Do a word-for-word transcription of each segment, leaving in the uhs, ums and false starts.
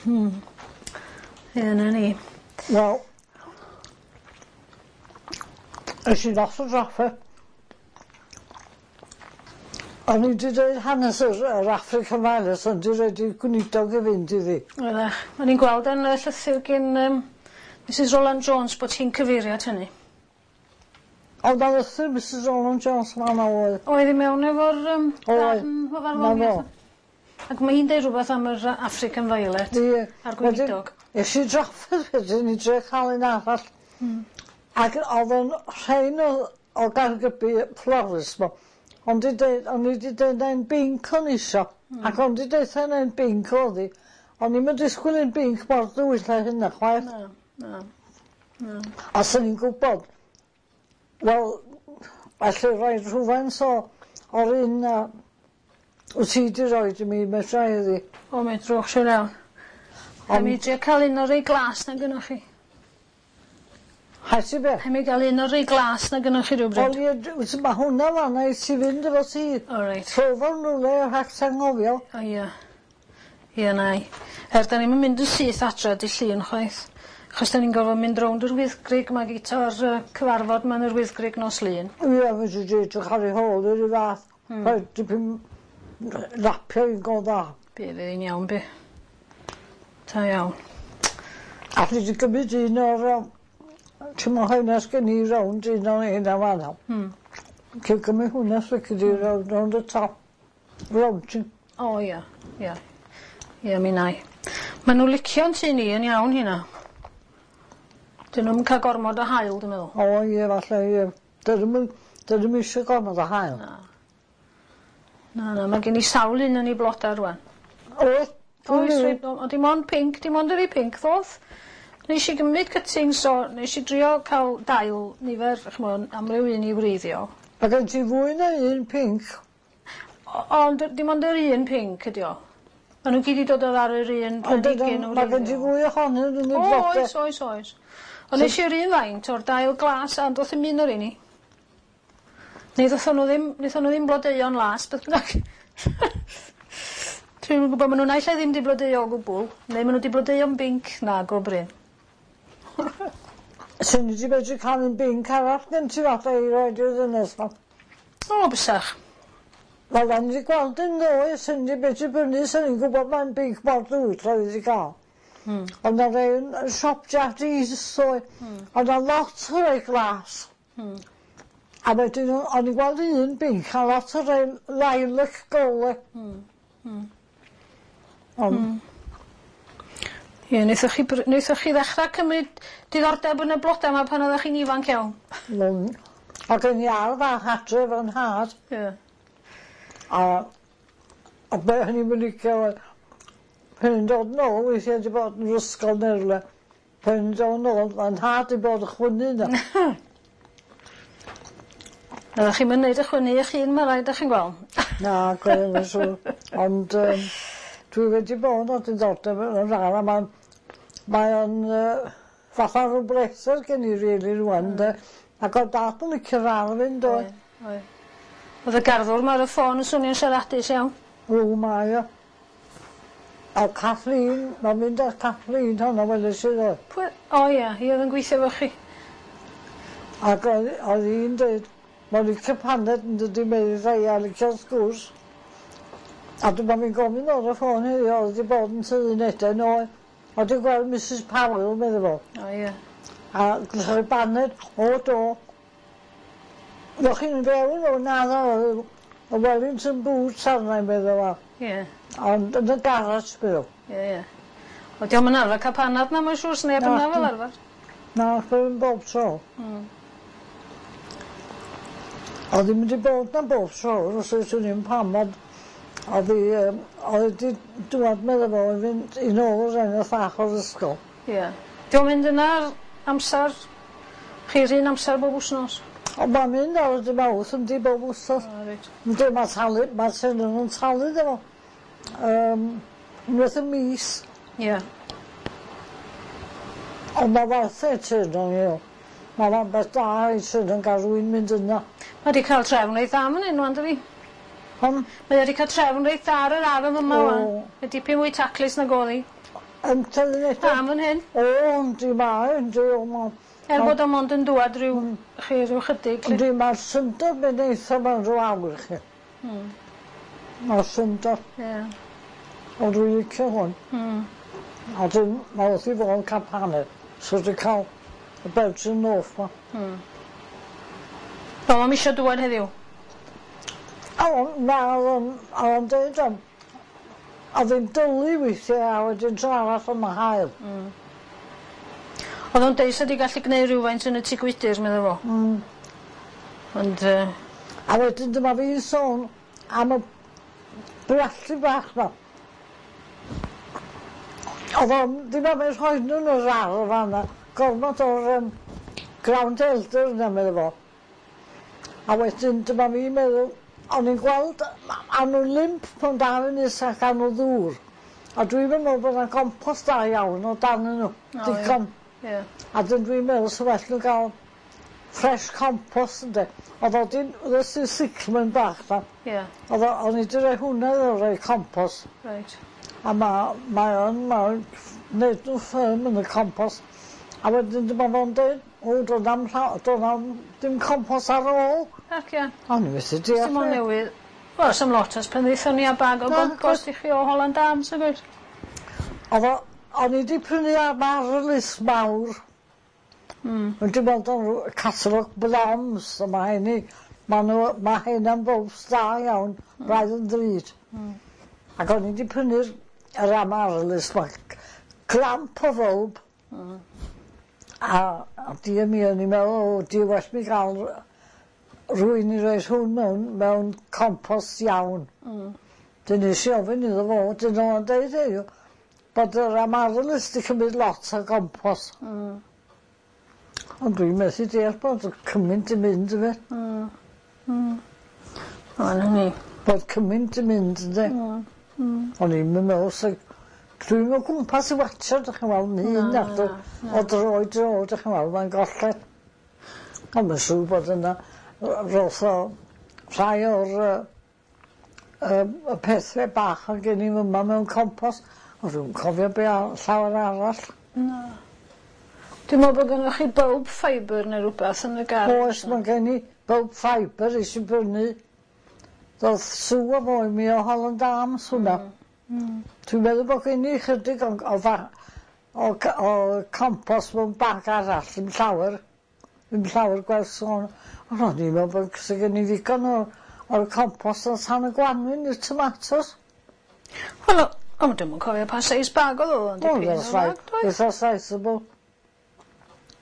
Hmm. Ie, 'na ni. Wel es i lot o drafferth. O'n i 'di deud hanes yr yr African Violet ond 'di roid i'r gweinidog i fynd iddi. Oeddach. O'n i'n gweld yn y llythyr gin yym Misys Roland Jones bot hi'n cyfeirio at hynny. Ond o'dd lythyr Misys Roland Jones fan 'na oedd. Oedd 'i mewn efo'r yym... Oedd. Darn o farddoniaeth? 'Na fo. Ac ma' 'i'n deud rwbeth am yr yy African Violet. Ie. A'r gweinidog. Wedyn es i drafferth wedyn i drio ca'l un arall. Hmm. Ac o'dd o'n rhein o o Gaergybi florist 'ma ond 'di deud o'n i 'di deud na un binc o'n i isio. Hmm. Ac ond 'di deutha 'na un binc o'dd 'i. O'n i'm yn disgwyl un binc mor dywyll â hynna chwaith. Na, na. Na. A swn i'n gwbod wel alle roi rhywfaint o o'r un yy wt ti 'di roid i mi medrai iddi. O medrwch siŵr iawn. Ond... mi drio ca'l un o'r rei glas 'na gynnoch chi. Haes ti be'? Rhai' mi ga'l un o'r rei glas 'na gynnoch chi rywbryd. Wel ie d- wyt ma' hwnna fan 'na i ti fynd efo ti. O reit. Rho fo yn rwle rhag ti anghofio. O ia. Ia 'nai. Er 'dan ni'm yn mynd yn syth adre dy' Llun chwaith. Achos 'dan ni'n gorfod mynd rownd yr Wyddgrug 'ma gito'r yy cyfarfod 'ma yn yr Wyddgrug nos Lun. Ia fedri di edrych ar 'i hôl 'i 'ru' fath. Hmm. Rhaid dipyn rapio 'i'n go dda. Bydd hi'n iawn by'. Da iawn. Alli di gymryd un o'r yym t'mo' rheina sgen i rownd un o rheina fan 'na. Hmm. Ti'n cymryd hwnna os lici di rownd rownd y top. Rownd ti. O ia ia. Ia mi wnâi. Ma' n'w licio'n tŷ ni yn iawn hynna. 'Dyn nw'm yn ca'l gormod o haul dwi meddwl. O ie falle ie. 'Dyn nw'm yn 'dyn nw'm isio gormod o haul. Na. Na na ma' gen i sawl un yn 'i bloda rŵan. Oes? Oes rhei o ond dim ond pinc dim ond y rei pinc ddoth. Nesh i gymryd cuttings o nesh i drio ca'l dail nifer ch'mo' amryw un i wreiddio. Ma' gen ti fwy na un pinc. O- ond dim ond yr un pinc ydi o. Ma' n'w gyd 'di dod odd ar yr un planhigyn Ond ma' gen ti fwy ohonyn n'w yn y O blode. oes oes oes. Ond nesh i'r un faint o'r dail glas a ond do'th ddim un o rei ni. Neu ddothon n'w ddim nethon n'w ddim blodeuo'n las beth bynnag. Dwi'm yn gwbo ma' n'w naill ai ddim 'di blodeuo o gwbwl neu ma' n'w 'di blodeuo'n binc na go brin. Swn i 'di medru ca'l un binc arall gen ti falle i roid i'r ddynes 'ma. O bysach. Wel o'n i 'di gweld un ddoe swn i 'di medru brynu swn i'n gwbod ma'n binc mor dywyll oedd 'i 'di ga'l. Hmm. Ond 'na rei yn yn siop Jardîs ddoe. Hmm. O' 'na lot o rei glas. Hmm. A wedyn o- o'n i'n gweld un binc a lot o rei lilac gole. Hmm. Hmm. Ond... Hmm. Ie neithoch chi bry- neithoch chi ddechra cymryd diddordeb yn y bloda 'ma pan oddach chi'n ifanc iawn? O'n. O'dd gen i ardd fach adre efo'n nhad. Ie. A a be' o'n i'm yn licio oedd pan o'n dod nôl weithie 'di bod yn 'r ysgol ne' rwle pan o'n dod nôl ma'n nhad 'di bod yn chwynnu 'na. Oddach chi'm yn neud y chwynnu 'ych hun ma' raid 'dach chi'n gwel'. Na gwir yn siŵr ond yym dwi wedi bod â diddordeb yn yr ardd a ma'n mae o'n yy fatha rw bleser gen i rili rŵan 'de ac o'dd dad yn licio'r ardd 'fyd doedd? Oedd oedd. O'dd y garddwr 'ma ar y ffôn yn swnio'n siaradus iawn. O mae o. A Kathleen ma'n mynd â Kathleen honno weles i ddoe. Pwy? O ia, hi o'dd yn gweithio efo chi. Ac oedd oedd hi'n deud ma'n licio paned yn dydi medda hi a licio sgwrs. A dyma fi'n gofyn ar y ffôn heddiw o'dd 'di bod yn tydd unede oedd. O'dd 'di gweld Misys Powell medda fo. O ie. A rhoi baned o do. Ddoch chi'n fewn o naddo o'dd y Wellington boots arna i medda fo. Ie. Ond yn y garage bydd o. Ie ie. Wel 'di o'm yn arfer ca'l panad na mae'n siŵr sneb yna fel arfer. Na, ddim bob tro. Hmm. O'dd ddim wedi bod 'na bob tro os oes wn i'm pam ond o'dd 'i yym o'dd 'i 'di dŵad medda fo i fynd i nôl yr eneth fach o'r ysgol. Ie. 'Di o'n mynd yna'r amsar chi'r un amsar bob wsnos? O ma'n mynd ar y dy' Mawrth yndi bob wsos. O reit. Yndi ma' talu ma'r tenant yn talu iddo fo. Yym unwaith y mis. Ie. Ond ma' werth e teyrnon ni. Ma' fe'n beth da i sydd yn ga'l rywun mynd yna. Ma' 'di ca'l trefn reit dda man 'yn ŵan dydi? Pam? Mae o 'di ca'l trefn reit dda ar yr ardd yma ŵan. O. Mae dipyn mwy taclus nag o'dd 'i. Yn tyfu eto. A, fan hyn. O, yndi ma, yndi, o ma. Er bod o mond yn dŵad rhyw, mm. chi rhyw chydig. Yndi, mae'r syndod mynd eitha mewn rhyw awr chi. Mm. Mae'r syndod. Ie. Yeah. Ond dwi'n licio hwn. Mm. A dyn, mae wrth i fod yn cael paned. So dwi'n cael y Belgian Loaf ma. Mm. Wel, am eisiau dŵad heddiw? O, na, oedd o'n dweud am... Oedd hi'n dylu weithiau a wedyn tro arall am y haul. Mm. Oedd o'n deud sa di gallu gwneud rhywfaint yn y tŷ gwydyr, medda fo. Mm. Ond... Uh... A wedyn dyma fi'n sôn am y briallu bach 'ma. Oedd o'n ddim am eu rhoi nhw yn yr ardd fan'na. Gormod o'r um, ground elder yna, medda fo. A wedyn dyma fi'n meddwl, o'n i'n gweld, a nhw'n limp pan dal yn is ac a nhw ddŵr. A dwi'n meddwl bod yna compost da iawn o dan nhw. O, Digon. Ie. A dyn dwi'n meddwl sa well nhw gael fresh compost ynde. Oedd o di, oedd o cyclamen bach na. Ie. Oedd o, o'n i di rhoi hwnna iddo rhoi compost. Reit. A ma, mae o'n, mae'n neud nhw firm yn y compost. A wedyn dyma fo'n dweud, o, do'n am, do'n am dim compost ar ôl. Ac ia. O'n i methu deall. Dim ond newydd. Wel, s'am lot ers pan ddaethon ni â bag o gompost i chi o Holland Arms, nag oes? Oedd o, o'n i di prynu amaryllis mawr. Mm. Ond dwi'n meddwl o'n catalog Blom's, a mae hynny, ma' nhw, mae hynna'n bulbs da iawn, mm. braidd yn ddrud. Mm. Ac o'n i di prynu'r yr amaryllis, ma clamp o fwlb. Mm. A, a di mi, o'n i'n meddwl, o, di well mi gael rhywun i roi hwn mewn, mewn compost iawn. Mm. Dyn nes i ofyn iddo fo, dyn nhw'n deud heddiw, bod yr amaryllis di cymryd lot o compost. Mm. Ond dwi'n methu deall bod y cymaint yn mynd yfe. Mm. Mm. O, na ni. Bod cymaint yn mynd ynddi. Mm. Mm. O'n i'n meddwl, so, dwi'n o gwmpas i watio, dych chi'n weld, yn hun Na, o o dro i dro, dych chi'n weld, mae'n golled. Ond mae'n siŵr bod yna roth o rhai o'r yy yy y pethe bach oedd gen i fyma mewn compost. Ond dwi'm cofio be' a- llawer arall. Na. Dwi'n meddwl bod gynnoch chi bulb fibre neu rwbath yn y gardd. Oes, mae gen i bulb fibre eisiau brynu. Ddoth Sue a fo i mi o Holland Arms hwnna. Mm. Mm. Dwi'n meddwl bod gen i chydig o, o, fa- o, c- o compost mewn bag arall, ddim llawer. Ddim llawer gweld sôn. Ond o'n i'n meddwl bod sy gen i ddigon o, o'r compost yn tan y gwanwyn i'r tomatos. Wel, o, dwi'm yn cofio pa seis bag oedd o, ond O, dipyn that's o right. fag, doedd? Eitha sizable.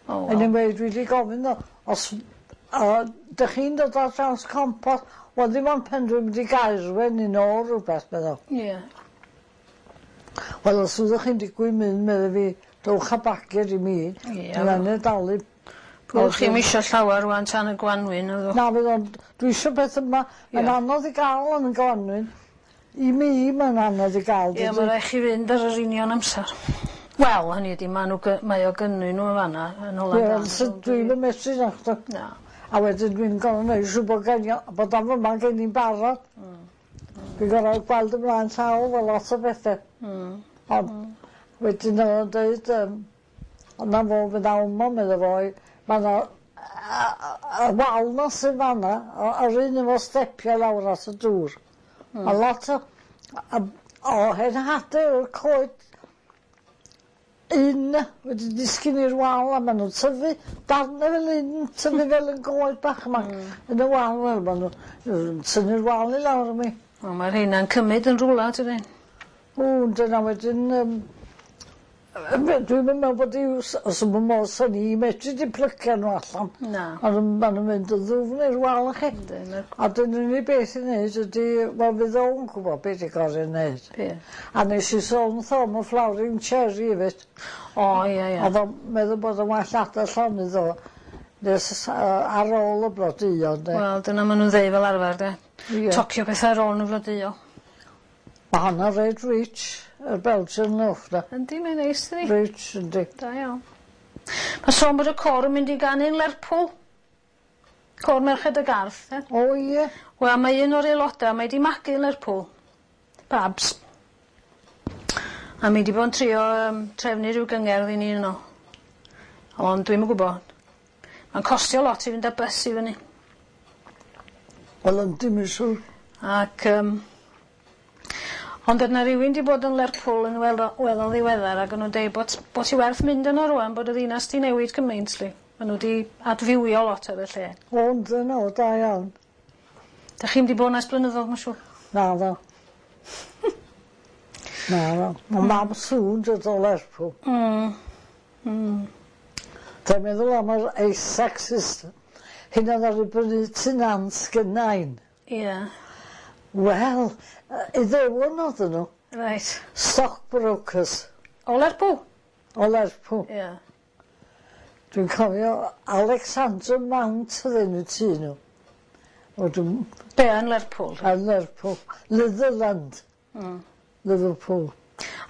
O, wel. Anyway, dwi wedi gofyn ddo, os uh, dych chi'n dod ar draws compost, wel ddim ond pen dwi'n mynd i Gaerwen i nôl rhywbeth, meddwl. Ie. Wel, os ydych chi'n digwydd mynd, medde fi, dowch â bagiau i mi. Ie. Dwi'n angen dalu. Wel, chi'm isio llawer rŵan tan y gwanwyn, oeddwch? Na, fydd o'n, dwi eisiau beth yma, mae'n Ie. anodd i gael yn y gwanwyn. I mi, mae'n anodd i gael. Ie, mae rhaid chi fynd ar yr union amser. Wel, hynny ydi, ma' nhw, gy- mae o gynnyn nhw yn fanna, yn Holland Ie, Arms. so dwi'n y methu nachdo. Na. A wedyn dwi'n gorfod neud siŵr bod gen i, bod am yma gen i'n barod. Dwi'n gorfod gweld ymlaen llaw efo lot o bethau. Mm. Ond wedyn oedd o'n dweud, um, ond na fo fydd awmo, medda fo, ma' 'na y wal 'na sy'n fanna, yr un efo stepiau lawr at y dŵr. Mm. A lot o, o, o hen hade o'r coed un wedi disgyn i'r wal a maen nhw'n tyfu darnau fel un, tyfu fel yn goed bach yma yn y wal fel maen nhw'n tynnu'r wal i lawr i mi. O, mae'r rheina'n cymryd yn rwla, dydyn? O, dyna wedyn, um, dwi'n meddwl bod i'w, os yw'n modd sy'n i medru di plycio nhw allan. Na. Ond maen nhw'n mynd yn ddwfn i'r wal chi. Yndyn, ma'r- A dyna'r unig beth i wneud ydy, wel fydd o'n gwybod beth i gorau wneud. Be? A nes i sôn wrtho am y flowering cherry hefyd. O, ie, ie. Oedd o'n meddwl bod o'n well adael llonydd o nes uh, ar ôl y blodeuo, de. Wel, dyna maen nhw'n ddeud fel arfer, de. Ie. Tocio pethau ar ôl nhw flodeuo. Mae hwnna reit rich, y Belgian loaf na. Yndi, mae'n neis, dydi? Rich, yndi. Da iawn. Mae sôn bod y côr yn mynd i ganu'n Lerpwl. Côr Merched y Garth, e? O ie. Wel, mae un o'r aelodau, mae di magu yn Lerpwl. Babs. A mi 'di bod yn trio yym trefnu ryw gyngerdd i ni yno. Ond dwi'm yn gwbo. Ma'n costio lot i fynd â bys i fyny. Wel yndi mae'n siŵr. Ac yym ond o'dd 'na rywun 'di bod yn Lerpwl yn weld o weddol ddiweddar ag o'n nw'n deud bot bot 'i werth mynd yno rŵan bod y ddinas 'di newid gymaint 'lly. Ma' n'w 'di adfywio lot ar y lle. O yndyn o da iawn. 'Dach chi'm 'di bod 'na ers blynyddodd ma' siŵr. Naddo. Naddo. Ma' mam Su'n dod o Lerpwl. Mm. Mm. Dwi'n meddwl am yr Isaac system. Hynna ddaru brynu tŷ nant gynnau. Ie. Wel, yy Iddewon oedden nhw. Reit. Stockbrokers. O Lerpwl? O Lerpwl. Ie. Dwi'n cofio Alexander Mount oedd enw tŷ nhw. O dwi'm... Be' yn Lerpwl? Yn Lerpwl. Litherland. Mm. Liverpool.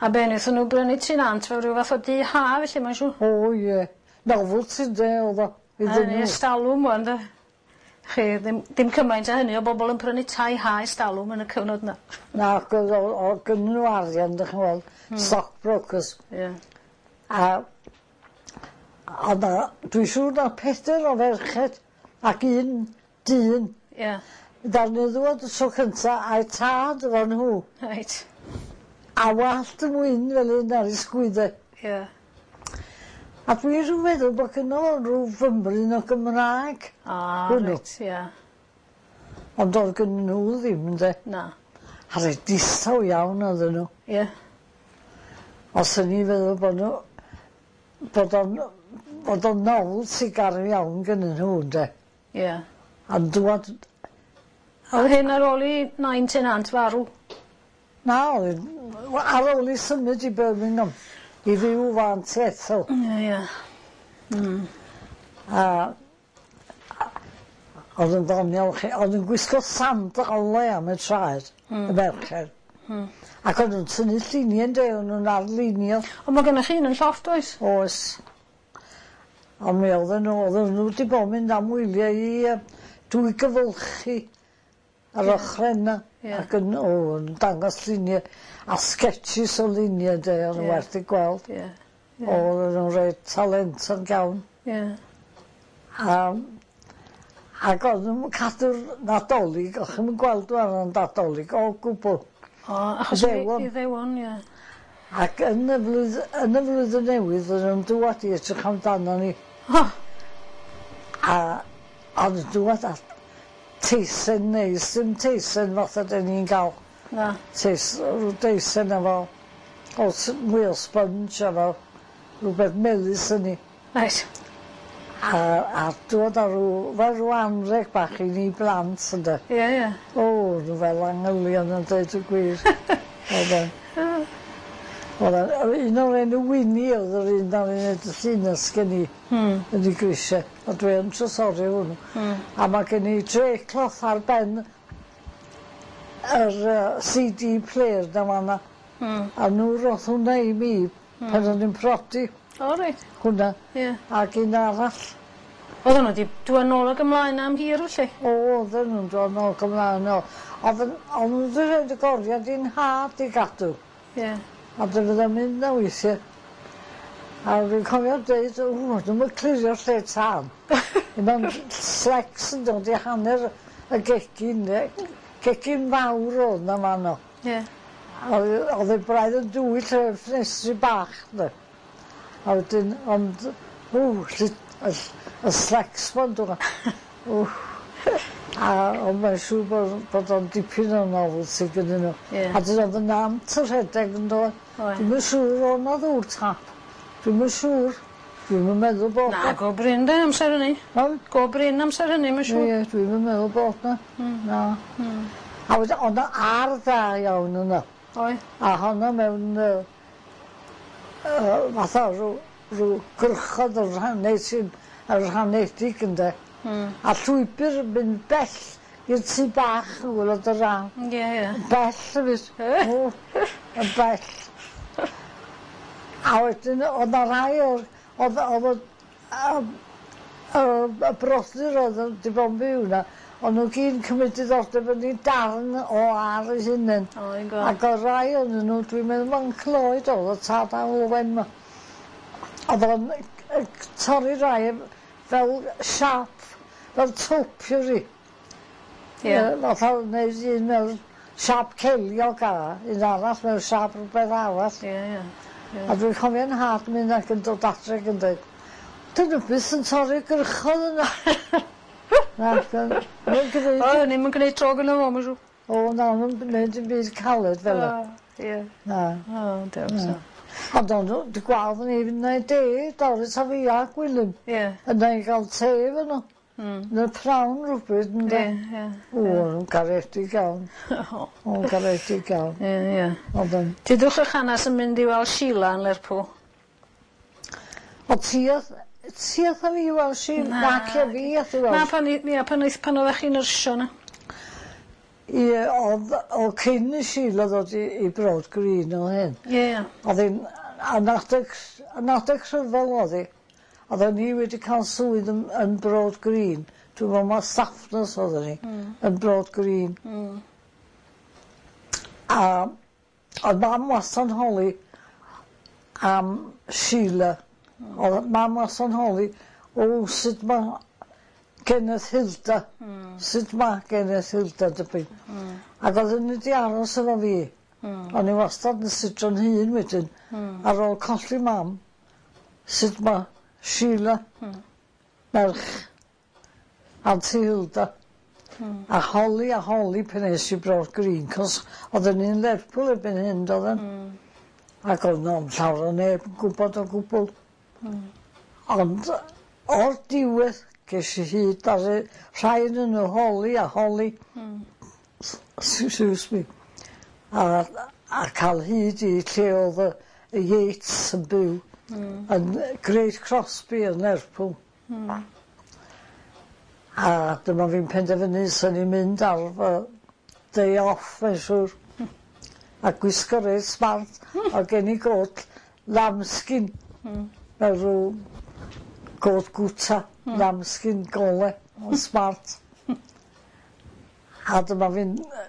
A be' nethon nw brynu tŷ nant fel ryw fath o dŷ ha felly mae'n siŵr? O ie. Novelty ynde o'dd o iddyn Yn nhw. estalwm ŵan 'de? Chi ddim dim cymaint â hynny o bobol yn prynu tai ha estalwm yn y cyfnod 'na. Na ac o'dd o o'dd gynnyn n'w arian 'dych chi'n weld. Hmm. Stockbrokers. Ie. A o'dd 'na dwi'n siŵr na peder o ferched ac un dyn. Ie. Ddaru nw ddŵad y tro cynta a'u tad efo nhw. Reit. A wallt yn wyn fel 'yn ar 'u sgwydde. Ie. A dwi rhyw feddwl bo' gynno fo rw fymryn o Gymraeg. A Hwnnw. reit ie. Ond o'dd gynnyn nhw ddim ynde? Na. A reit distaw iawn oedden nhw. Ie. Os o'n i'n feddwl bo' nhw bod o'n bod o'n novelty garw iawn gynnyn nhw ynde? Ie. A'n dŵad O'dd hyn ar ôl i nain tenant farw? Na oedd ar ôl i symud i Birmingham i fyw efo Auntie Ethel. Ie ie. Mm. A o'dd yn ddoniol 'chi o'dd yn gwisgo sandale am y traed. Hmm. Y merched. Hmm. Ac o'n nw'n tynnu llunie ynde o'n nw'n arlunio. On' ma' gynnoch chi un yn llofft oes? Oes. On' mi oedden nw oedden nw 'di bo' mynd am wylie i yy dwy gyfylchi ar Ie. ochre yna. Ie. Ac yn o yn dangos llunie a sketches o lunie ynde o'n Ie. werth 'u gweld. Ie. Ie. Oedden nw'n reit talentog iawn. Ie. A ac o'dd nw'm yn cadw'r Nadolig o'ch chi'm yn gweld nw ar y Nadolig o gwbwl. O achos Iddewon. Iddewon ie. Ac yn y flwydd- yn y flwyddyn newydd oedden nw'n dŵad i edrych amdano ni. O! A o'dd nw'n dŵad â teisen neis dim teisen fatha 'den ni'n ga'l. Na. Teis- rw deisen efo o s- mwy o sponge efo rwbeth melys yn 'i. Reit. A a dŵad â rw fel rw anreg bach i ni blant ynde. Ie ie. O nw fel angylion yn deud y gwir. Oedden. O'dd a- un o'r enw Winnie o'dd yr un ddaru neud y llinell gen i. Hmm. Yn 'i grisie a dwi yn trysori hwnnw. Hmm. A ma' gen i draycloth ar ben yr yy See Dee player 'na fan 'na. Hmm. A nw roth hwnna i mi pan o'n i'n prodi. O reit. Hwnna. Ie. Ac un arall. Oedden nhw 'di dŵad nôl ag ymlaen am hir felly? O odden nw'n dod nôl ac ymlaen o. O'dd yn o'n nw 'di roid y goriad i'n nhad i gadw. Ie. A dy fydda mynd 'na weithie. A fi'n cofio deud o dwi'm yn clirio'r lle tân. Ma'n slecs yn dod i hanner y gegin 'de. Gegin fawr o'dd 'na fan 'no. Ie. O'dd o'dd 'i braidd yn dywyll efo'r ffenestri bach 'de. A wedyn ond ww 'lly y y slecs ma'n dod. Ww. A ond mae'n siŵr bod bod o'n dipyn o novelty gynnyn n'w. Ie. A dyna o'dd y nant yn rhedeg yndo? Oedd. Dwi'm yn siŵr o' 'na ddŵr tap. Dwi'm yn siŵr. Dwi'm yn meddwl bod Na go brin 'de amser hynny. Ond? Go brin amser hynny mae'n siŵr. Ie dwi'm yn meddwl bod 'na. Hmm. Na. Hmm. A wedyn o'dd 'na ardd dda iawn yno. Oedd. A honno mewn yy yy fatha rw rw gyrchod yn rhan neu sy'n yn rhanedig ynde? Hmm. A llwybyr yn mynd bell i'r tŷ bach yn gwylod yr ardd. Ie ie. Bell hefyd. O yn bell. A wedyn o'dd 'na rai o'r o'dd o'dd y yym y y brodyr o'dd yn 'di bo' yn byw 'na O'n nhw gyd yn cymryd diddordeb yn 'u darn o ar eu hunen. O fi'n gweld. Ac o rai o'nyn nhw, dwi'n meddwl ma'n Cloyd o'dd y tad Alwen 'ma. O'dd o'n yy torri rai fel siâp, fel topiary. Ie. Yy fatha neud un mewn siâp ceiliog a un arall mewn siâp rwbeth arall. Ie ie. Ie. A dwi'n cofio'n nhad mynd ac yn dod adre ac yn deud 'dyn n'w byth yn torri'r gwrychodd yna. Nac on. Mae'n gneud... O o'n i'm yn gneud tro gynno fo ma' siŵr. O na o'n nw'm gneud dim byd caled fel 'a. O ie. Na. O dew so. Ond o'n n'w dy gweld ni fynd neud de Doris a fi a Gwilym. Ie. Yna i ga'l te efo n'w. Hmm. Yn y prawn rwbryd ynde? Ie ie. O o'n nw'n garedig iawn. O. O'n garedig iawn. Ie ie. Ond yn Dudwch 'ych hanas yn mynd i weld Sheila yn Lerpwl. O ti o'dd ti ath â fi i weld Sheila? Na. Naci fi ath i weld... Na pan i ia pan aeth pan oddach chi'n nyrsio 'na. Ie o'dd o cyn i Sheila ddod i i Broad Green o hyn. Ie ie. O'dd 'i'n yn adeg yn adeg rhyfel o'dd 'i. Odden ni wedi ca'l swydd yn yn Broad Green. Dwi me'wl ma' staff nurse oedden ni. Hmm. Yn Broad Green. Hmm. A o'dd mam wasto'n holi am Sheila. Hmm. O'dd mam wasto'n holi o sut ma' Kenneth Hilda. Hmm. Sut ma' Kenneth Hilda dipyn. Hmm. Ag odden n'w 'di aros efo fi. Hmm. O'n i wastad yn sito'n hun wedyn. Hmm. Ar ôl colli mam sut ma' Sheila. Hmm. Merch Auntie Hilda. Hmm. A holi a holi pan es i Broad Green 'c'os odden ni'n Lerpwl erbyn hyn dodden? Hmm. Ac o'dd 'na'm llawer o neb yn gwbod o gwbwl. Hmm. Ond o'r diwedd ges i hyd ar y rhai o'nyn n'w holi a holi. Hmm. Excuse me. A a ca'l hyd i lle o'dd y y Yates yn byw. Hmm. Yn Great Crosby yn Lerpwl. Hmm. A dyma fi'n penderfynu swn i'n mynd ar fy day off mae'n siŵr. A gwisgo reit smart o'dd gen i got lambskin. Hmm. Fel rw got gwta. Hmm. Lambskin gole yn smart. A dyma fi'n yy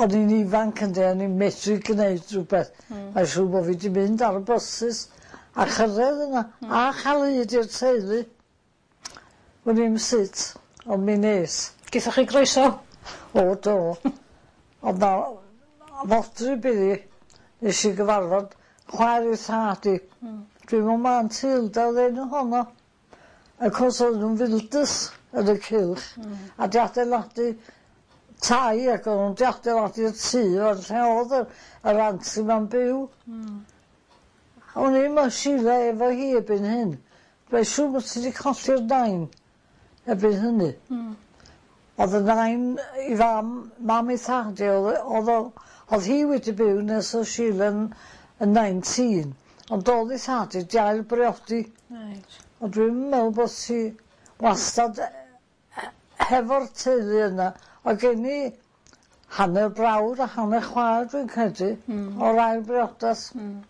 o'n i'n ifanc ynde o'n i'n medru gneud rwbeth. Hmm. Mae'n siŵr bo' fi 'di mynd ar y byses a chyrredd yna Hmm. a cha'l hyd i'r teulu. Wn i'm sut ond mi nes. Gethoch chi groeso? O do. O'dd 'na fodryb iddi nes i gyfarfod chwaer ei thad 'i. Hmm. Dwi'n me'wl ma' Auntie Hilda o'dd enw honno. Of course o'dd nw'n fildys yn y cylch. Hmm. A 'di adeiladu tai ac o'n nw'n 'di adeiladu'r tŷ o'r lle o'dd y yr auntie 'ma'n byw. Hmm. O'n i'm yn Sheila efo hi erbyn hyn. Mae'n siŵr bod ti 'di colli'r nain erbyn hynny. Hmm. O'dd y nain 'i fam mam ei thad i o'dd yy o'dd o o'dd hi wedi byw nes o'dd Sheila'n yn nineteen ond o'dd ei thad 'i 'di ail briodi. Reit. Ond dwi'm yn me'wl bod hi wastad e- e- hefo'r teulu yna. O'dd gen i hanner brawd a hanner chwaer dwi'n credu. Hmm. O'r ail briodas. Hmm.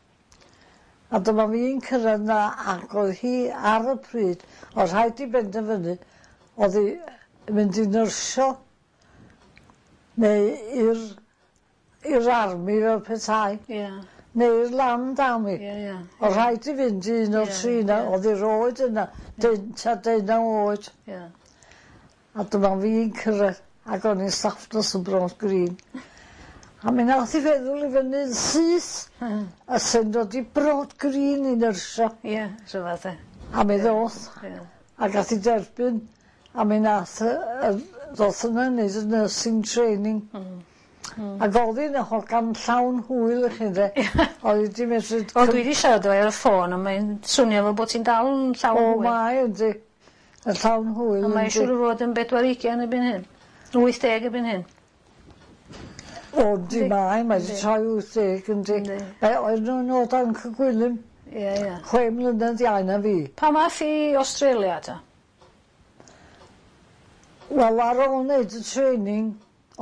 A dyma fi'n cyrraedd 'na ac o'dd hi ar y pryd o' rhaid i benderfynu o'dd 'i yn mynd i nyrsio neu i'r i'r army fel petai. Ie. Neu'r land army. Ie ie. O' rhaid i fynd i un o'r Ie, tri 'na ie. o'dd 'i roed yna deun- tua deunaw oed. Ie. A dyma fi'n cyrraedd ac o'n i'n staff nurse yn Broad Green. A mi nath 'i feddwl i fyny'n syth. A sy'n dod i Broad Green i nyrsio. Ie, rhyfadd 'de. A mi ddoth. Ie. A gath 'i derbyn a mi nath yy yy ddoth yna neud y nursing training. Hmm. Hmm. Ag o'dd hi'n hogan llawn hwyl i chi ynde? Oedd 'i 'di medru... Wel dwi 'di siarad efo 'i ar y ffôn a mae'n swnio fel bot hi'n dal yn llawn hwyl. O mae yndi. Yn llawn hwyl yndi. A mae siŵr o fod yn bedwar ugian erbyn hyn. Wyth deg erbyn hyn. O yndi mae mae 'di troi wyth deg yndi. Yndi. E oedd nw'n o dan Gwilym. Ie ie. Chwe mlynedd iau na fi. Pan ath i Australia ta? Wel ar ôl neud y training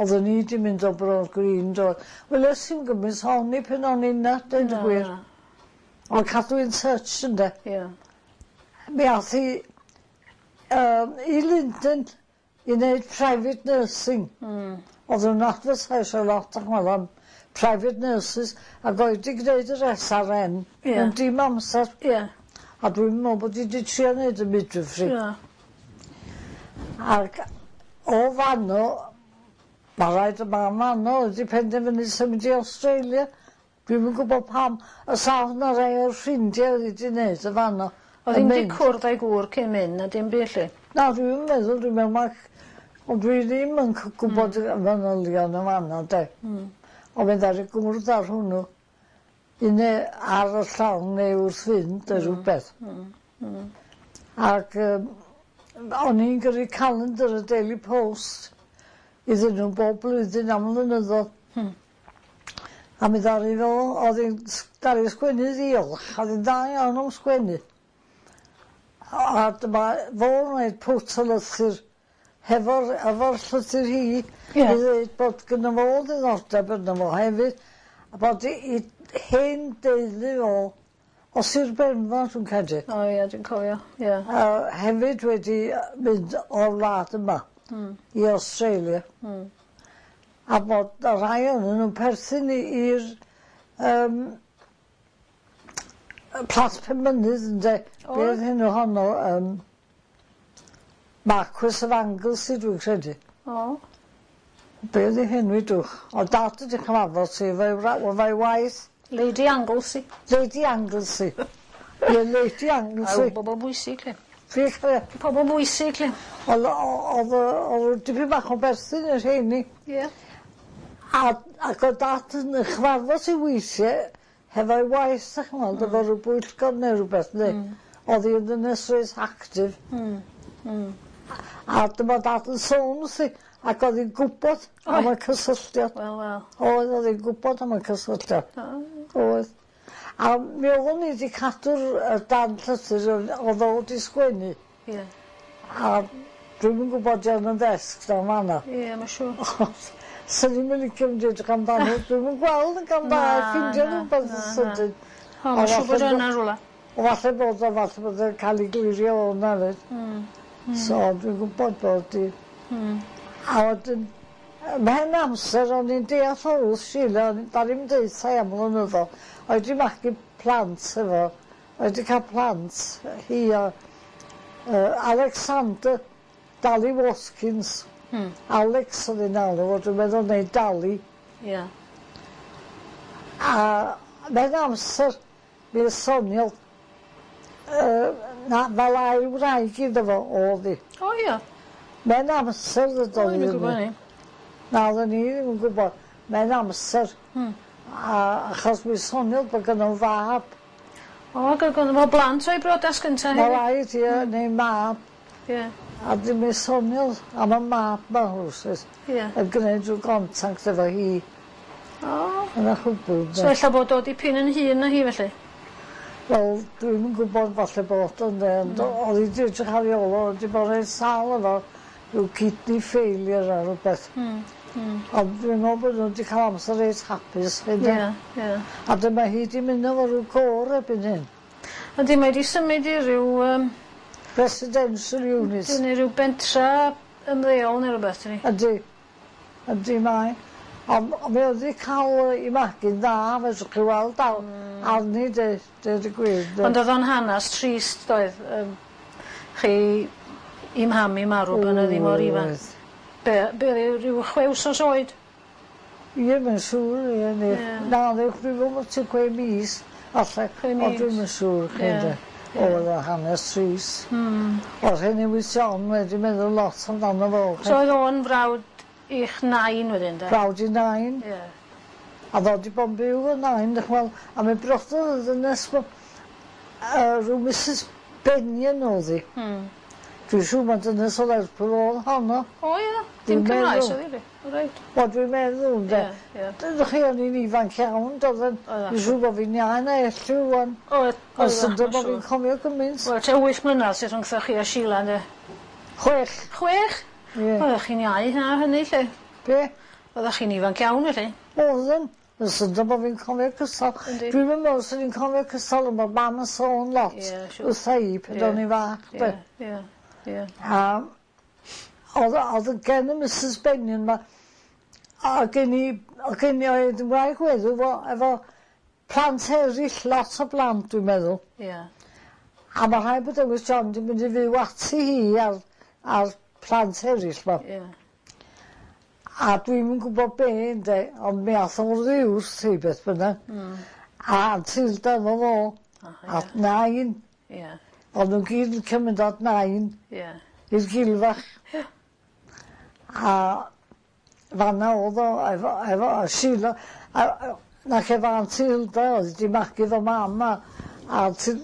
oddwn i 'di mynd o Broad Green do? Wel es i'm gymaint honni pan o'n i 'na deud y gwir. Na. Ond cadw in touch ynde? Ie. Mi ath hi yym i Lunden i wneud private nursing. Mm. Oedd nhw'n advertisio lot ac am private nurses ac oedd 'di gwneud yr S R N Ie. mewn dim amser. Ie. A dwi'n meddwl bod hi 'di trio neud y midwifery. Ie. Ac o fano, ma' raid y mam fano wedi penderfynu symud i Australia. Dwi'm yn gwybod pam. Y sawl na rai o'r ffrindiau oedd wedi neud y fano. O'dd yn hi'm 'di mynd. cwrdd â'i gŵr cyn mynd na dim byd 'lly? Na dwi'm yn meddwl, dwi'n meddwl ma' ond dwi ddim yn c- gwbod Hmm. y manylion yn fanno de. Mm. Ond fe ddaru gwrdd ar hwnnw un ar y llong neu wrth fynd neu rhywbeth. Mm. Mm. Ac yym o'n i'n gyrru calendar y Daily Post iddyn nhw bob blwyddyn am flynyddodd. Hmm. A mi ddaru fo, o'dd hi'n s- daru sgwennu ddiolch, o'dd hi'n dda iawn am sgwennu. A dyma fo'n roid pwt o lythyr hefo'r efo'r llythyr hi Ie. i ddweud bod gynno fo ddiddordeb yno fo hefyd a bod 'i 'i hen deulu o o Sir Benfro dwi'n credu. O ie dwi'n cofio ie. A hefyd wedi yy mynd o'r wlad yma. Hmm. I Australia. Hmm. A bod y rhai ohonyn nw'n perthyn i i'r yym yy Plas Penmynydd ynde? O. Be' oedd henw honno yym Marquis of Anglesey dwi'n credu. O. Be' oedd ei henw 'i dwch? O dad wedi cyfarfod ti efo'i wra- efo'i waith. Lady Anglesey. Lady Anglesey. Ie Lady Anglesey. O bobol bwysig 'lly. Fi chwe. Pobol bwysig 'lly. O'dd o- o'dd yy o'dd dipyn bach o berthyn i'r rheini. Ie. A ac o'dd dad yn ei chyfarfod hi weithie hefo'i waith 'dach ch'mod efo ryw bwyllgor neu rwbeth neu Mm. o'dd hi yn ddynes reit actif. Hmm. Hmm. A dyma dad yn sôn wrthi ac o'dd hi'n gwbod am y cysylltiad. Wel wel. Oedd o'dd hi'n gwbod am y cysylltiad. O. Oedd. A mi oeddwn i 'di cadw'r yy dan llythyr oedd o'dd o 'di sgwennu. Ie. A dwi'm yn gwbod 'di o'n yn ddesg dan fan 'na. Ie ma' siŵr. Swn i'm yn licio mynd i edrych amdano dwi'm yn gweld yn gan dda ffindio rwbeth yn sydyn. O ma' siŵr bod o yna rwla. O falle bod o falle bod o'n ca'l 'i glirio o 'na 'fyd. Hmm. So dwi'n gwbod bod 'i. Hmm. A wedyn ymhen amser o'n i'n deall o wrth Sheila o'n i daru 'im deutha i am flynyddodd oedd 'di magu plant efo oedd 'di ca'l plant hi a yy Alexander Dally Watkins. Hmm. Alex oedd hi'n alw fo dwi'n meddwl neu Dally. Ie. A mewn amser mi soniodd yy na fel ail wraig iddo fo o'dd 'i. O ia. Mewn amser ddydodd O dwi'm yn gwbo 'ny. Na oedden ni ddim yn gwbod. Mewn amser. Hmm. A achos mi soniodd bod gynno fab. O ag o'dd gynno fo blant o'i brodas gynta Ma' hefyd. raid ie neu mab. Ie. A 'dyn mi soniodd am y mab 'ma rwsut. Ie. Yn gneud rhyw gontact efo hi. O. Yna chwbwl So ella bod o dipyn yn hŷn na hi felly? Wel dwi'm yn gwbod falle bod o ynde ond Hmm. o'dd 'i 'di edrych ar 'i ôl o 'di bod reit sâl efo rhyw kidney failure a rwbeth. Hmm. Hmm. Ond dwi'n meddwl bod nhw 'di ca'l amser reit hapus hefyd. Ie ie. A dyma hi 'di mynd efo rhyw côr erbyn hyn. Yndi mae 'di symud i ryw yym Residential unit. Ydi neu ryw bentra ymddeol neu rwbeth dydi? Yndi. Yndi mae. Ond mi o'dd 'di ca'l 'i magu'n dda fedrwch chi weld al- Hmm. arni de deud y gwir de. Ond o'dd o'n hanas trist doedd yym chi 'i mham 'i marw pan oedd 'i mor ifanc. Oedd. Be' be' o'dd 'i ryw chwe wsos oed? Ie mae'n siŵr ie ne. Ie. Na dwi'n meddwl bod tua chwe mis falle. Chwe mis. Ond dwi'm yn siŵr chi Ie. ynde. Oedd o'n hanes trist. Hmm. O'dd Rhun Lewis John wedi meddwl lot amdano fo. So oedd o'n frawd i'ch nain wedyn de? Brawd i nain. Ie. A ddod i bod yn byw efo nain 'dych ch'mod a mi brododd y ddynes 'ma yy rhyw Missus Bennion o'dd 'i. Hmm. Dwi'n siŵr ma' dynes o Lerpwl o'dd honno. O ie, dim Dwi'n Cymraes meddwl. oedd hi 'li? O reit. Wel dwi'n meddwl ynde. Ie ie. Dydych chi o'n i'n ifanc iawn doedden Oeddach. Dwi'n siŵr bo' fi'n iau na Elliw ŵan. Oedd Ond syndod bo' fi'n cofio gymaint. Wel tua wyth mlynadd sydd rhwngtho chi a Sheila ynde? Chwech. Chwech? Ie. Oeddech chi'n iau na hynny 'lly? Be? Oeddech chi'n ifanc iawn felly? Oedden. Mae'n syndod bo' fi'n cofio cystal. Yndi. Dwi'm yn meddwl swn i'n cofio cystal ond ma' mam yn sôn lot Ie siŵr. wrtha i pan o'n i'n fach de. Ie ie ie. A Oedd oedd gen y Missus Benyon 'ma a gen i o' gen i oedd yn wraig weddw fo efo plant eryll, lot o blant dwi'n meddwl. Ie. A ma' rhaid bod Lewis John 'di mynd i fyw ati hi a'r a'r plant eryll 'ma. Ie. A dwi'm yn gwbo be' ynde ond mi ath o oddi wrth hi beth bynnag. Hmm. A Tilda efo fo. O ie. At nain. Ie. O'n nw'n gyd yn licio mynd at nain. Ie. I'r gilfach. Ie. A fan 'na o'dd o efo efo a Sheila a a nac efo Aunt Hilda o'dd 'di magu fo mam a a ti-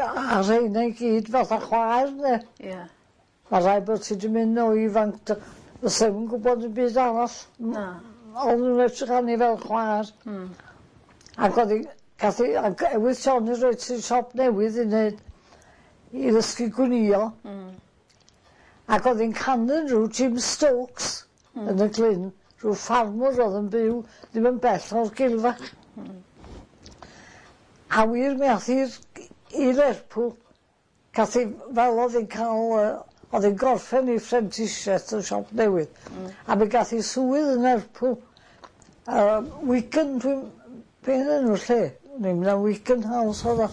a rheina i gyd fatha chwaer 'de? Ie. Ma' raid bod ti 'di mynd o ifanc dy- fysa 'im yn gwbod dim byd arall. Na. O'n nw'n edrych arni fel chwaer. Hmm. Ac o'dd 'i gath 'i ag ewyrth John i roid ti siop newydd i neud i ddysgu gwnïo. Hmm. Ac o'dd 'i'n canu rw Jim Stokes. Hmm. Yn y Glyn, rhyw ffarmwr o'dd yn byw ddim yn bell o'r Gilfach. Hmm. A wir mi ath hi'r i Lerpwl gath 'i fel o'dd 'i'n ca'l yy o'dd 'i'n gorffen 'i phrentisiaeth yn siop newydd. Hmm. A mi gath 'i swydd yn Lerpwl yy Wigan dwi'n be' o'dd enw'r lle? O'n i'n meddwl Wigan House o'dd o.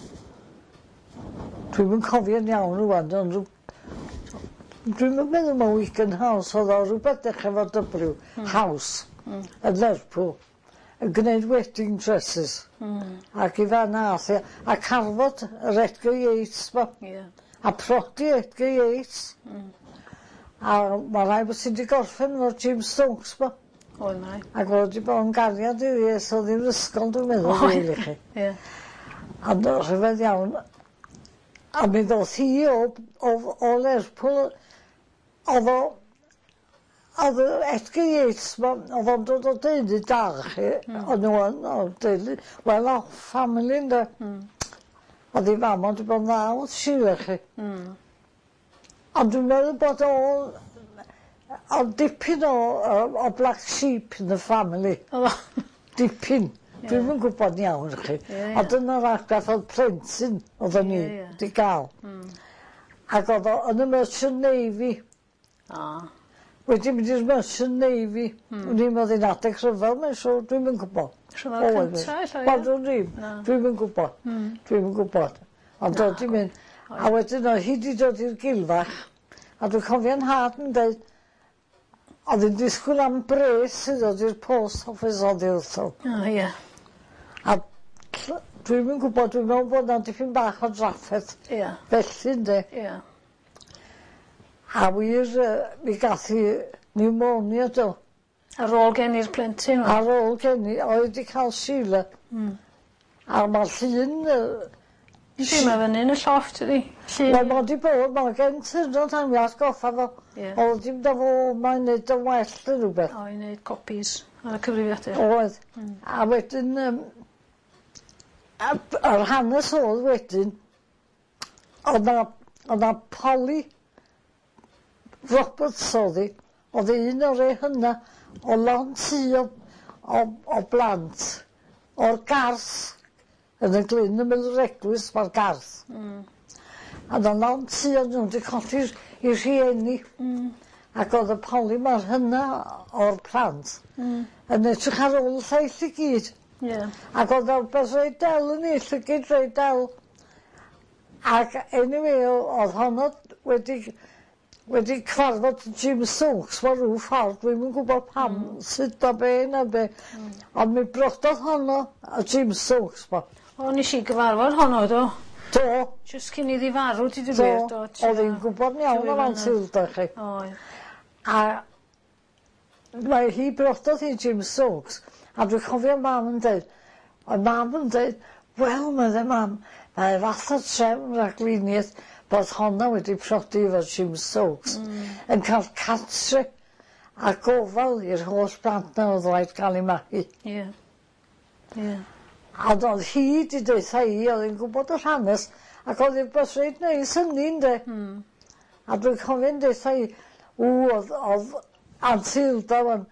Dwi'm yn cofio'n iawn rŵan ond rw dwi'm yn meddwl ma' Wigan House o'dd o rwbeth dechre efo Double-you Hmm. House. Hmm. Yn Lerpwl yn gneud wedding dresses. Hmm. Ac i fan ath 'i a carfod yr Edgar Yates 'ma. Ie. A prodi Edgar Yates. Hmm. A ma' rai bod ti 'di gorffen efo'r Jim Stokes 'ma. Oedd mae. Ac o'dd o 'di bod yn gariad iddi ers o'dd 'i'n ysgol dwi'n meddwl Oedd. rili chi. Ie. Ond o rhyfedd iawn a mi ddoth hi o o o Lerpwl o'dd o o'dd yy Edgar Yates 'ma o'dd o'n dod o deulu da chi. Hmm. O'n n'w yn o deulu well off family ynde? Hmm. O'dd 'i fam o 'di bod yn dda wrth Sheila chi. Hmm. Ond dwi'n meddwl bod o o'dd dipyn o o o black sheep in the family. O'dd o? Dipyn. Ie. Dwi'm yn gwbod yn iawn chi. Ie ie. Ond dyna'r argraff o'dd plentyn oedden ni Ie ie. 'di ga'l. Hmm. Ac o'dd o yn y Merchant Navy. O. Wedi mynd i'r Merchant Navy. Hmm. Wn i'm o'dd 'i'n adeg rhyfel mae'n siŵr dwi'm yn gwbod. Rhyfel cynta ella ie? Wel dwn i'm. Na. Dwi'm yn gwbod. Hmm. Dwi'm yn gwbod. Ond o'dd 'di mynd a wedyn o'dd hi 'di dod i'r gilfach a dwi'n cofio'n nhad yn deud o'dd 'i'n disgwyl am bres i ddod i'r post office oddi wrtho. O ie. A tl- dwi'm yn gwbod dwi'n meddwl bod 'na dipyn bach o drafferth. Ie. Felly ynde? Ie. A wir yy mi gath hi pneumonia do? Ar ôl geni'r plentyn? Ar ôl geni oedd 'di ca'l Sheila. Hmm. A ma'r llun yy Yndi ma' fyny yn y llofft ydi? Llun. Wel ma' 'di bod ma' gen ti tan mi atgoffa fo. Ie. O'dd dim dy fo mae'n neud yn well neu rwbeth. O i neud copies ar y cyfrifiadur. Oedd. Hmm. A wedyn yym a b- yr hanes o'dd wedyn o'dd 'na o'dd 'na Polly Roberts o'dd 'i o'dd un o'r rei hynna o lond tŷ o o o blant o'r Garth yn y Glyn ymyl yr eglwys ma'r Garth. Hmm. A o'dd 'na lond tŷ o n'w 'di colli'r 'u rhieni. Hmm. Ac o'dd y Polly ma'r hynna o'r plant. Hmm. Yn edrych ar ôl y lleill i gyd. Ie. Ac o'dd o rwbeth reit del yn 'i llygid reit del. Ac anyway o- o'dd honno wedi wedi cyfarfod Jim Stokes mewn rhyw ffordd dwi'm yn gwbod pam Hmm. sut a be na be. Hmm. Ond mi brododd honno a Jim Stokes 'ma. O nesh i gyfarfod honno do? Do. Jyst cyn iddi farw deud y Do. gwir do. O'dd 'i'n gwbod yn iawn am Aunt Hilda chi. Oedd. A mae hi brododd hi Jim Stokes a dwi'n cofio mam yn deud o'dd mam yn deud wel medde mam mae fath o trefn rhagluniaeth bod honna wedi prodi efo Jim Stokes. Hmm. Yn ca'l cartre a gofal i'r holl blant 'na o'dd raid ca'l 'u magu. Ie. Ie. Ond o'dd hi 'di deutha i o'dd 'i'n gwbod yr hanes ac o'dd 'i'n rwbeth reit neis hynny ynde? Hmm. A dwi'n cofio'n deutha i ww o'dd o'dd Aunt Hilda 'wan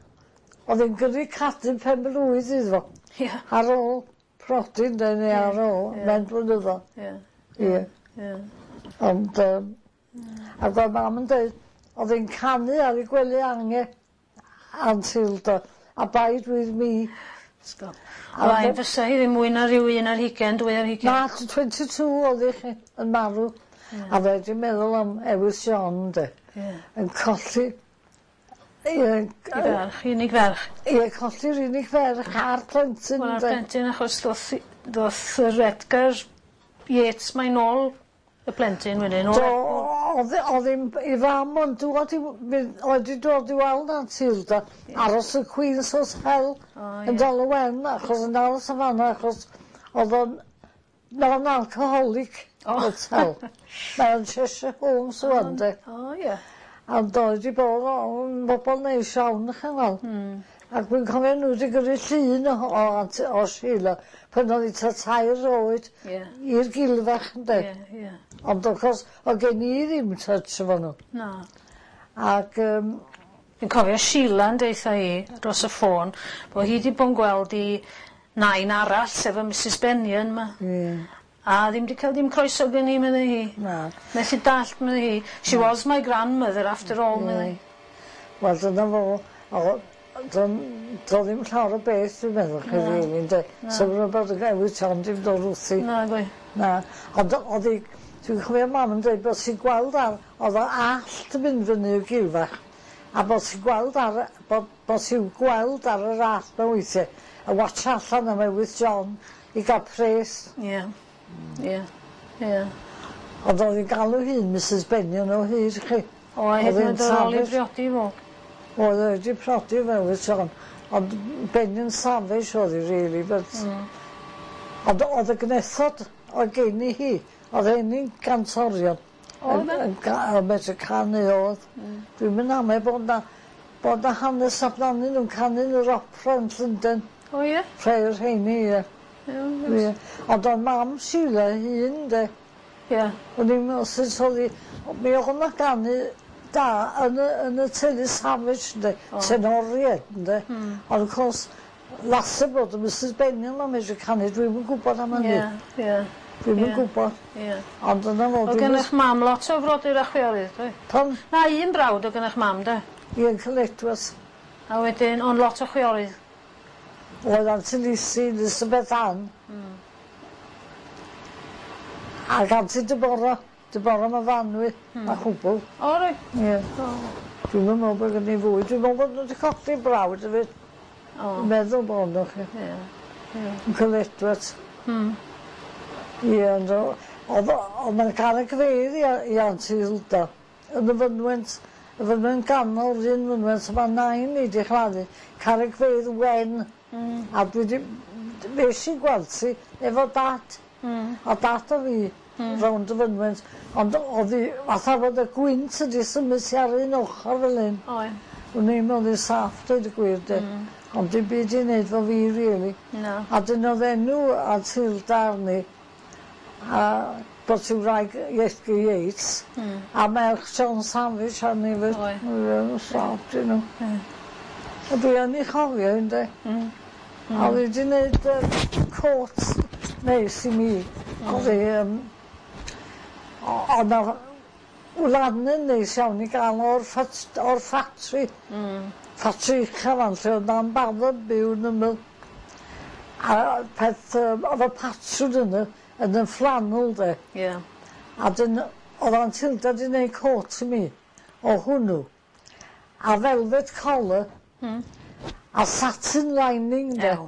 o'dd 'i'n gyrru cadw pen-blwydd iddo fo. Ie. Ar ôl prodi ynde neu ar ôl Ie. mewn blynyddodd. Ie. Ie. Ie. Ond yym Hmm. ag o'dd mam yn deud Oedd hi'n canu ar ei gwely ange Aunt Hilda Abide with me. Stop. Fain fysa hi ddim mwy na rhyw un ar hugen, dwy ar hugen. Na, twenty two oedd hi chi, yn marw. A fe 'di meddwl am Ewys John de. Ie. Yn colli ie I ferch, unig ferch. Ie, colli'r unig ferch a'r plentyn Wel a'r ynde? plentyn achos ddoth 'i ddoth yr Edgar Yates mae nôl y plentyn wedyn o Do, Lerpwl. o'dd o'dd 'i'm 'i fam yn dŵad i w- mynd oedd 'di dod i weld Aunt Hilda aros y Queen's Hotel O ie. yn Dal y Wen achos yn aros yn fan 'na achos o'dd o'n non-alcoholic O. hotel. Mae o'n Cheshire Homes rŵan de. O ie. A doedd 'di bod o'n bobol neis iawn 'dych chi'n weld. Hmm. Ac dwi'n cofio n'w 'di gyrru llun o o Aunt o Sheila pan oedd 'i tua tair oed. Ie. I'r gilfach ynde? Ie ie. Ond of course o'dd gen i ddim touch efo n'w. Na. Ac yym Fi'n cofio Sheila'n deutha i dros y ffôn bo' hi 'di bo' yn gweld 'i nain arall sef y Misys Bennion 'ma. Ie. A ddim 'di ca'l dim croeso gen 'i medde hi. Na. Methu dallt medde hi. She was my grandmother after all medde hi. Wel dyna fo. O do'n do' ddim llawer o beth dwi'n meddwl chi rili ynde? So rwbeth yn newid ond dim dod wrthi. Na gwe. Na ond o'dd 'i dwi'n cofio mam yn deud bod ti'n gweld ar o'dd o allt yn mynd fyny i'r gilfach a bod ti'n gweld ar y bod bod ti'n gweld ar yr allt 'ma weithie a watsio allan am Ewys John i ga'l pres. Ie. Ie. Ie. Ond o'dd 'i'n galw hi'n Misys Bennion o hyd chi. O a hyd yn oed ar ôl i briodi fo. Oedd o wedi prodi efo Ewys John ond Bennion Savage oedd hi really but Mm. ond o'dd y gnethod oedd geni hi o'dd rheini'n gantorion. Oedd e? Yn yn ga- yn medru canu oedd. Mm. Dwi'm yn ame bod 'na bod 'na hanes amdanyn nw'n canu yn yr opera yn Llundain. O ie? Rhei o'r rheini ie. Ie. Ie. Ond o'dd mam Sheila ei hun de. Ie. O'n i'n meddwl sut o'dd 'i mi o'dd 'na ganu da yn y yn y teulu Savage ynde? O. Tenoried ynde? Hmm. Ond of course lasse bod y Misys Bennion 'ma'n medru canu dwi'm yn gwbod am hynny. Ie, ie. Dwi'm yn Ie. gwbod. Ie. Ond dyna fo. O'dd gen 'ych mam lot o frodyr a chwiorydd doedd? Pam? Na un brawd o'dd gen 'ych mam de? Ie, Uncle Edwards. A wedyn ond lot o chwiorydd. Oedd Auntie Lizzie, Elizabeth Ann. Hmm. Ac Auntie Deborah, Deborah Myfanwy, Hmm. a chwbl. O reit. Ie. O. Dwi'm yn meddwl bod gen i fwy. Dwi'n meddwl bod nhw wedi colli brawd hefyd. O. Dwi'n meddwl bod nhw chi. Ie. Ie. Uncle Edwards. Hmm. Ie, ond o- oedd o- oedd 'na garreg fedd i i Auntie Hilda yn y fynwent, y fynwent ganol, yr un fynwent ma' nain i 'di chladdu, carreg fedd wen. Hmm. A dwi 'di fues i gweld hi efo dad. Hmm. A dad a fi mm. rownd y fynwent, ond oedd hi fatha bod y gwynt wedi symud hi ar un ochr fel hyn. Oedd. O'n i'n meddwl hi'n saff, dweud y gwir de. Mm. Ond dim byd i wneud efo fi, really. Na. A dyn oedd enw Aunt Hilda arni, a bod ti'n wraig Edgar Yates, Mm. a merch John Savage arni fyd. Oedd. Oedd saff, dyn nhw. Ie. A dwi yn ei chofio yndê. Mm. A oedd hi wedi gwneud uh, cot neis i mi. Oedd hi, um, oedd 'na wlanen neis iawn i gael o'r, ffat, o'r ffatri. Mm. Ffatri ucha fan lle oedd na'n bardd byw yn ymyl. A peth, um, oedd y patrwn yna yn y flannel de. Ie. A dyn, oedd Aunt Hilda wedi gwneud cot i mi o hwnnw. A velvet collar. Mm. A satin lining de. Ew.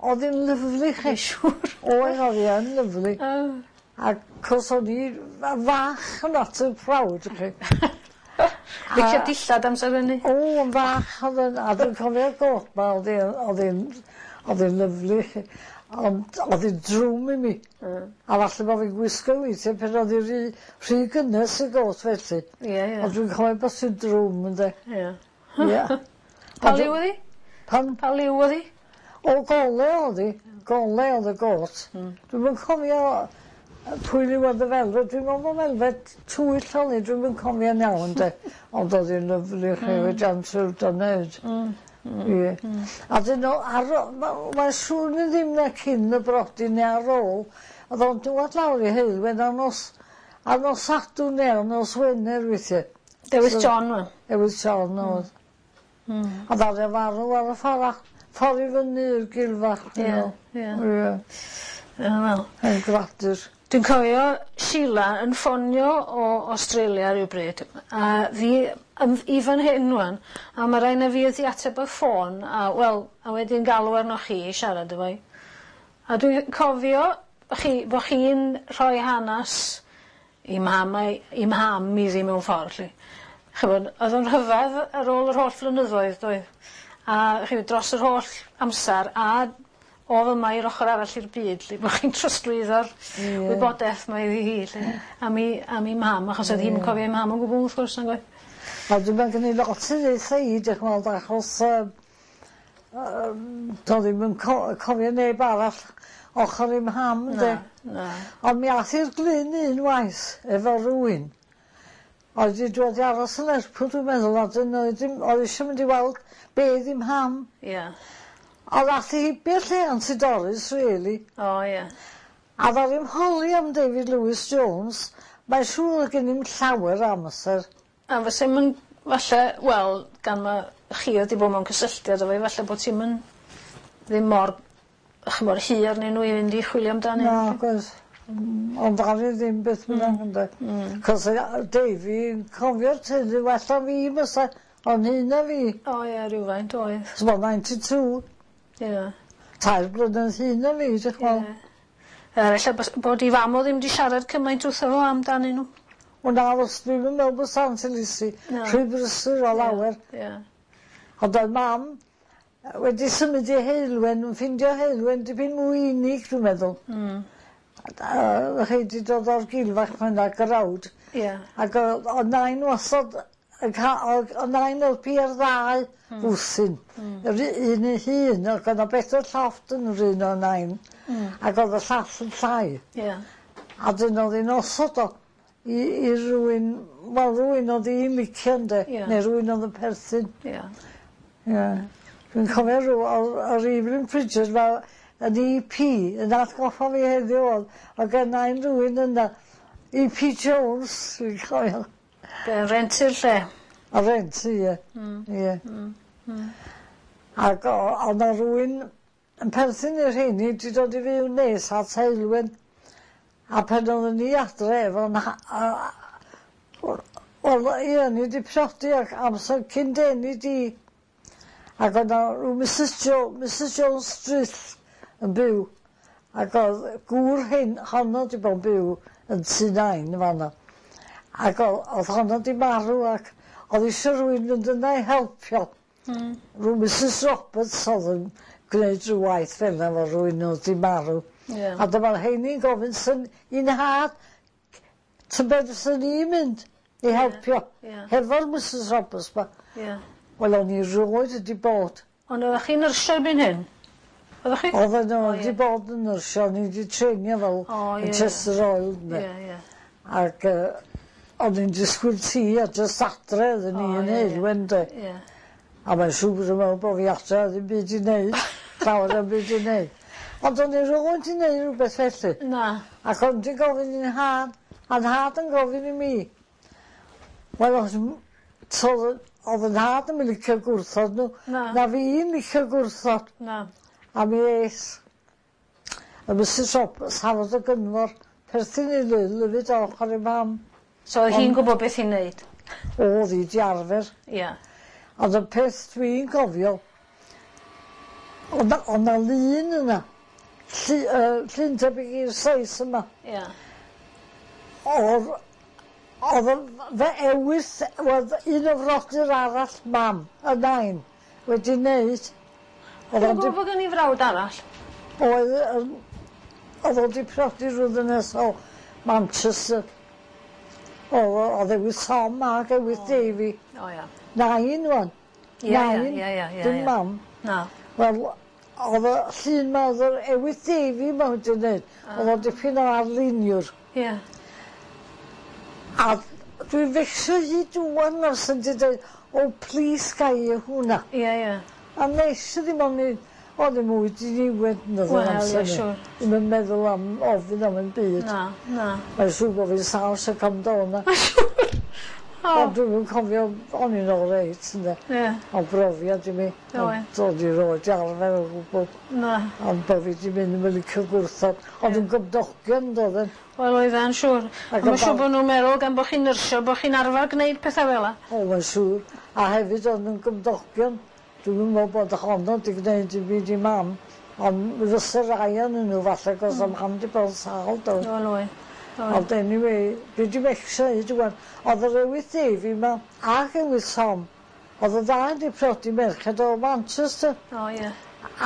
Oedd hi'n lyfli chi. Dwi'n siŵr. Oedd, oedd hi yn lyfli. O. A cos o'n i fach yn at y proud chi. Licio dillad amser hynny? O, yn fach oedd yn, a dwi'n cofio'r got 'ma, oedd hi'n, oedd hi'n, oedd hi'n lyfli chi. Ond oedd hi'n drwm i mi. Mm. A falle bod fi'n gwisgo weithiau pan oedd hi rhy, rhy gynnes i got felly. Ie, ie. Ond dwi'n cofio bod hi'n drwm ynde. Ie. Ie. Pa liw oedd hi? Pan, Pa liw oedd hi? o gole oedd hi. Gole oedd y got. Mm. Dwi'm yn cofio yy pwy liw oedd y velvet. Dwi'n meddwl bod velvet tywyll oedd hi. Dwi'm yn cofio'n iawn de. Ond oedd hi'n lyfli chi wedi answer neud. Mm. Ie. A dyn nhw, ar, ma- mae'n siŵr ni ddim na cyn y brodi neu ar ôl, oedd o'n dŵad lawr i Heulwen ar nos, ar nos Sadwrn neu ar nos Wener weithiau. Dewis John wan. Ewys John oedd. Mm. A ddaru o farw ar y ffor a- ffor i fyny i'r gilfach. Ie, ie. Ie. Ie wel. Yn gradur. Dwi'n cofio Sheila yn ffonio o Australia rywbryd a fi yn i fan hyn ŵan a ma' rai' na fi o'dd 'di ateb y ffôn a wel a wedyn galw arnoch chi i siarad efo 'i. A dwi cofio chi bo' chi'n rhoi hanas i mham a'i i mham iddi mewn ffor 'lly. Ch'mod o'dd o'n rhyfedd ar ôl yr holl flynyddoedd doedd? A chi dros yr holl amsar a o fyma i'r ochor arall i'r byd 'lly bo' chi'n trosglwyddo'r... Ie. ...wybodeth 'ma iddi hi 'lly. Am 'i am 'i mham achos o'dd hi'm yn cofio 'i mham o gwbwl wrth gwrs nag oedd? Wel dwi'm yn gynnu lot i ddeutha i dioch yn fawr achos yym yym do'dd 'i'm yn co- cofio neb arall ochor 'i mham 'de? Na na. Ond mi ath i'r glyn un waith efo rywun oedd 'di dod i aros yn Lerpwl dwi'n meddwl a 'dyn oedd dim oedd isio mynd i weld bedd 'i mham. Ie. Ond ath hi heibio'r lle Aunty Doris really. O ie. A ddaru 'im holi am David Lewis Jones mae'n siŵr o'dd gen 'i'm llawer o amser. A fysa 'im yn falle wel gan ma' chi o'dd 'di bod mewn cysylltiad efo 'i falle bo' ti'm yn ddim mor ch'mod hir arnyn n'w i fynd i chwilio amdani. Nag oes. Mm ond ddaru ddim beth bynnag ynde? Mm. 'C'os yy yy Davy yn cofio'r teulu well na fi fysa o'n hyn na fi. O ie rywfaint oedd. T'mo' ninety two. Ie. Tair blynedd hŷn na fi dych ch'mo'. Ie. Yy ella bys- bod 'i fam o ddim 'di siarad cymaint wrtho fo amdanyn n'w. Wel na os dwi'm yn meddwl bysa Aunty Lucy. Na. Rhy brysur o lawer. Ie. Ond oedd mam yy wedi symud i Heulwen yn ffindio Heulwen dipyn mwy unig dwi'n meddwl. Mm. A yy chi 'di dod o'r gilfach fan 'na grawd. Ie. Ag o'dd o'dd nain wastod yn ca- o'dd o'dd nain o'dd pia'r ddau Hmm. wthyn. Hmm. Yr u- un ei hun ag o'dd 'na bedwar llofft yn yr un o nain. Hmm. Ag o'dd y llall yn llai. Ie. A 'dyn o'dd 'i'n osod o i i rywun wel rywun o'dd 'i'n licio ynde? Ie. Ne' rywun o'dd yn perthyn. Ie. Ie. Dwi'n cofio rw o'dd o'dd Evelyn Bridges fel yn Ee Pee yn atgoffa fi heddiw o'dd o'dd gennai rywun yna Ee Pee Jones dwi'n cofio. Be' rentu'r lle? A rentu ie. Hmm. Ie. Hmm. Hmm. Ag o- o'dd 'na rywun yn perthyn i'r rheini 'di dod i fyw nes at Heulwen a pan oddwn ni adre efo 'nha- a- a- wel ie o'n i 'di priodi ac amser cyn deni di ac o'dd 'na rw Misys Jo- Misys Jones Street yn byw ac o'dd gŵr hyn honno 'di bod yn byw yn Tŷ Nain yn fan 'na ac o- o'dd honno 'di marw ac o'dd isio rywun fynd yna i helpio. Hmm. Rw Misys Roberts o'dd yn gneud rhyw waith fel 'na efo rywun o'dd 'di marw. Ie. A dyma'r rheini'n gofyn syn i'n nhad tybed fyswn i'n mynd i helpio. Ie. Hefo'r Misys Roberts 'ma. Ie. Wel o'n i rioed wedi bod. Ond oeddech chi'n nyrsio erbyn hyn? Oeddech chi? Oedden nhw O, wedi ie. bod yn nyrsio, o'n i wedi treinio fel O, ie, yn Chester Royal ynde. Ie, ie. Ac yy o'n i'n disgwyl tŷ a jyst adre oedden ni O, yn ie, ie. Heulwen de. Ie. A mae'n siŵr bod yn meddwl bo' fi adre a ddim byd i neud. Llawer o'm byd i neud. Ond o'n i rioed 'di neud rwbeth felly. Na. Ac o'n 'di gofyn i'n nhad, a'n nhad yn gofyn i mi. Wel o'dd m- so o'dd 'yn nhad ddim yn licio gwrthod n'w. Na. Na fi'n licio gwrthod. Na. A mi es. A Misys Roberts Hafod y Gynfor perthyn i Lil hefyd o ochor ei mam. So oedd hi'n gwbod beth i'n neud? O'dd hi 'di arfer. Ie. Ond y peth dwi'n gofio o'dd 'na o' 'na lun yna llu- yy llun tebyg i'r seis yma. Ie. O'dd o'dd y fy ewyrth wel un o frodyr arall mam, y nain, wedi neud. O'dd Dwi'n o'n gwbod bod gen i frawd arall. Oedd yym o'dd o 'di priodi rhyw ddynes o Manchester. O'dd o o'dd ewyrth Tom ag ewyrth Davy. O ia. Nain ŵan. Ie, ie, Nain. ie, ie, ie, Dim ie. mam. Na. Wel o'dd y llun 'ma o'dd yr ewyrth Davy 'ma wedi neud. O'dd o'n dipyn o arluniwr. Ie. A dwi'n fecsio hyd ŵan os yn 'di deud o plîs gai i hwnna. Ie, ie. A nes i ddim ond i o'n i mwy diniwed yn yr Wel, ie, amser 'ny. siŵr. Ddim yn meddwl am ofyn am 'im byd. Na, na. Mae'n siŵr bo' fi'n sâl ers cam do 'na. Mae'n siŵr. O. Ond dwi'm yn cofio o'n i'n oreit ynde. Ie. Ond brofiad i mi. Oedd. Ond do'n i roed 'di arfer o gwbwl. Na. Ond bo' fi 'di mynd yn licio gwrthod. Ond yn gymdogion doedden. Wel oeddan siŵr. Ac A ma' yn siŵr bal- bo' nw'n meddwl gan bo' chi'n nyrsio bo' chi'n arfar gneud petha fel 'a. O mae'n siŵr. A hefyd o'n nw'n gymdogion. Dwi'm yn me'wl bod honno 'di gneud dim byd i mam. Ond mi fysa rai o'nyn n'w falle 'cos o'dd mam 'di bod yn sâl do? Wel oedd. Oedd. Ond anyway, dwi 'di becso hyd ŵan. O'dd yr Ewyth Davy 'ma ac Ewyth Tom o'dd y ddau 'di prodi merched o Manchester. O ie.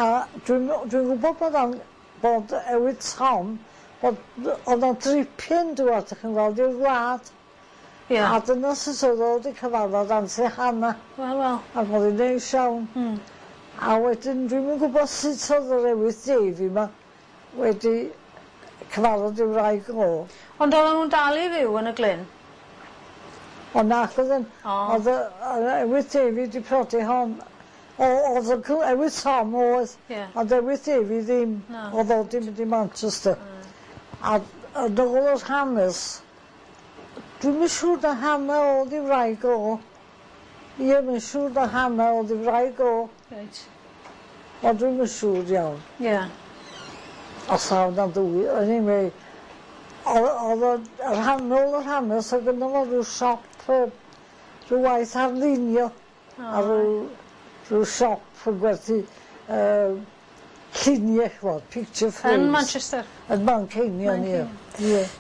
A dwi'n dwi'n gwbod bod o'n bod Ewyth Tom bod o'dd o'n dripyn dŵad 'dych chi'n gweld i'r wlad. Ie. A dyna sut o'dd o 'di cyfarfod Aunty Hannah. Wel wel. Ac o'dd hi'n neis iawn. Hmm. A wedyn dwi'm yn gwbod sut o'dd yr Ewyth Davy 'ma wedi cyfarfod 'i wraig o. Ond oedden nw'n dal i fyw yn y Glyn? Ond nac oedden. O. O'dd y yr Ewyth Davy 'di prodi hon. O o'dd y cw- Ewyth Tom oedd. Ie. Ond Ewyth Davy ddim. Na. O'dd o 'di mynd i Manchester. A yn ôl yr hanes dwi'm yn siŵr na Hannah o'dd 'i wraig o. Ie mae'n siŵr na Hannah o'dd 'i wraig o. Reit. Ond dwi'm yn siŵr iawn. Ie. Os taw na ddwy anyway o'dd o'dd o y rhannol yr hanes o'dd gynno fo ryw siop yy rhyw waith arlunio a ryw rhyw siop yn gwerthu yy llunie ch'mod picture frames. Yn Manchester? Yn Manceinion ie. Ie.